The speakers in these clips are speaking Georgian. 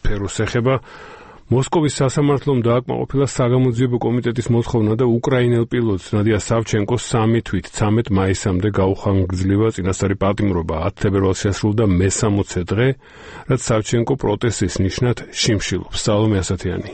სფეროს ეხება. მოსკოვის სასამართლომ დააკმაყოფილა საგამოძიებო კომიტეტის მოთხოვნა და უკრაინელ პილოტს ნადია სავჩენკოს 3 თვით 13 მაისამდე გაუხანგრძლива წინასწარი პატიმრობა 10 თებერვალს შესრულდა მე-60 დღე, რაც სავჩენკო პროტესტის ნიშნად შიმშილობს. სალომე ასათიანი.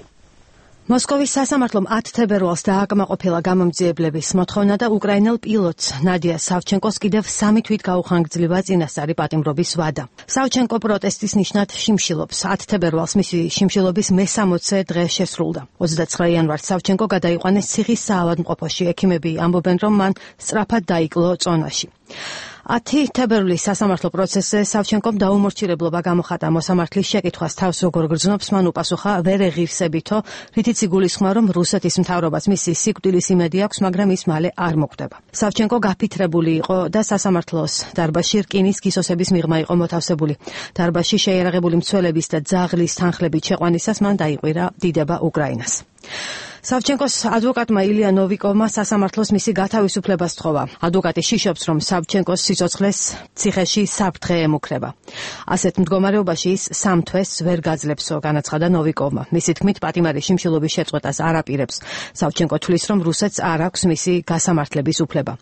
მოსკოვის სასამართლომ 10 თებერვალს დააკმაყოფილა გამომძიებლების მოთხოვნა და უკრაინელ პილოტს ნადია სავჩენკოს კიდევ 3 თვით გაუხანგრძლива წინასწარი პატიმრობის ვადა. სავჩენკო პროტესტის ნიშნად შიმშილობს. 10 თებერვალს მისი შიმშილობის მე-60 დღე შესრულდა. 29 იანვარს სავჩენკო გადაიყვანეს ციხის საავადმყოფოში. ექიმები ამბობენ, რომ მან სწრაფად დაიკლო წონაში. 10 თებერვლის სასამართლო პროცესზე სავჩენკომ დაუმორჩილებლობა გამოხატა. მოსამართლის შეკითხვას თავს როგორ გრძნობს, მან უპასუხა ვერ ეღირსებითო, რითიც იგულისხმა, რომ რუსეთის მთავრობას მისი სიკვდილის იმედი აქვს, მაგრამ ის მალე არ მოკვდება. სავჩენკო გაფითრებული იყო და სასამართლოს დარბაზში რკინის გისოსების მიღმა იყო მოთავსებული. დარბაზში შეიარაღებული მცველების და ძაღლის თანხლებით შეყვანისას მან დაიყვირა დიდება უკრაინას. სავჩენკოს ადვოკატმა ილია ნოვიკოვმა სასამართლოს მისი გათავისუფლება სთხოვა. ადვოკატი შიშობს, რომ სავჩენკოს სიცოცხლეს ციხეში საფრთხე ემუქრება. ასეთ მდგომარეობაში ის 3 თვეს ვერ გაძლევსო, განაცხადა ნოვიკოვმა. მისი თქმით, პატიმარი შიმშილობის შეწყვეტას არ აპირებს. სავჩენკო თვლის, რომ რუსეთს არ აქვს მისი გასამართლების უფლება.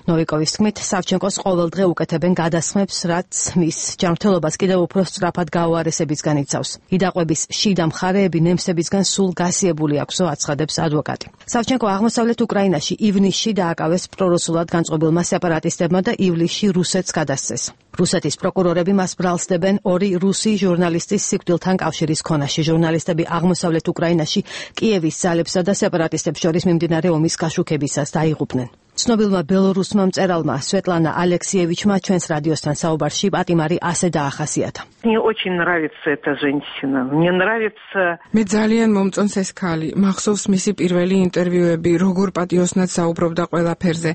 ნოვიკოვის თქმით, სავჩენკოს ყოველდღე უკეთებენ გადასხმებს, რაც მის ჯანმრთელობას კიდევ უფრო სწრაფად გაუარესებისგან იცავს. იდაყვების შიდა მხარეები ნემსებისგან სულ გასიებული აქვსო, აცხადებს ადვოკატი. სავჩენკო აღმოსავლეთ უკრაინაში ივნისში დააკავეს პრორუსულად განწყობილმა სეპარატისტებმა და ივლისში რუსეთს გადასცეს. რუსეთის პროკურორები მას ბრალსდებენ 2 რუსი ჟურნალისტის სიკვდილთან კავშირის ქონაში. ჟურნალისტები აღმოსავლეთ უკრაინაში კიევის ძალებსა და სეპარატისტებს შორის მიმდინარე ომის გაშუქებისას დაიღუპნენ. ცნობილმა ბელორუსმა მწერალმა სვეტლანა ალექსიევიჩმა ჩვენს რადიოსთან საუბარში პატიმარი ასე დაახასიათა. მე ძალიან მომწონს ეს ქალი. მახსოვს მისი პირველი ინტერვიუები, როგორ პატიოსნად საუბრობდა ყველაფერზე.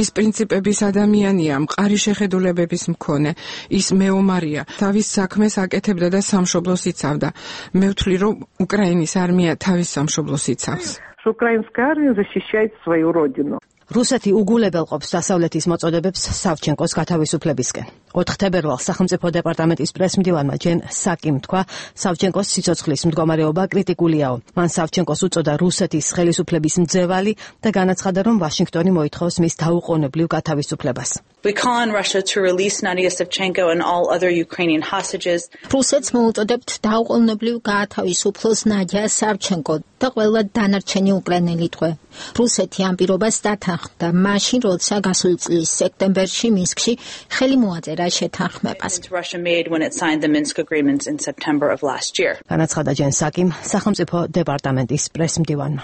ის პრინციპების ადამიანია, მყარი შეხედულებების მქონე. ის მეომარია. თავის საქმეს აკეთებდა და სამშობლოს იცავდა. მე ვთვლი, რომ უკრაინის არმია თავის სამშობლოს იცავს. Украинская армия защищает свою родину. რუსეთი უგულებელყოფს დასავლეთის მოწოდებებს სავჩენკოს გათავისუფლებისკენ. 4 თებერვალს სახელმწიფო დეპარტამენტის პრესმდივანმა ჯენ საკიმ თქვა, სავჩენკოს სიცოცხლის მდგომარეობა კრიტიკულიაო. მან სავჩენკოს უწოდა რუსეთის ხელისუფლების მძევალი და განაცხადა, რომ ვაშინგტონი მოითხოვს მის დაუყოვნებლივ გათავისუფლებას. We call on Russia to release Nadia Savchenko and all other Ukrainian hostages. რუსეთს მოუწოდებთ დაუყოვნებლივ გაათავისუფლოს ნადია სავჩენკო და ყველა დანარჩენი უკრაინელი ტყვე. რუსეთი ამ პირობას დათანხმდა მაშინ, როცა გასული წლის სექტემბერში მინსკში ხელი მოაწერა შეთანხმებას. Russia made when it signed the Minsk agreements in September of last year. განაცხადა ჯენ საკიმ სახელმწიფო დეპარტამენტის პრესმდივანმა.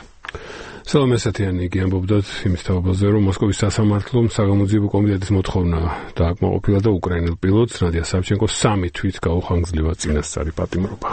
სალომე ასათიანი იგი ამბობდათ იმის თავაზე, რომ მოსკოვის სასამართლომ საგამოძიებო კომიტეტის მოთხოვნა დააკმაყოფილა და უკრაინელ პილოტს ნადია სავჩენკოს 3 თვით გაუხანგრძლива წინასწარი პატიმრობა.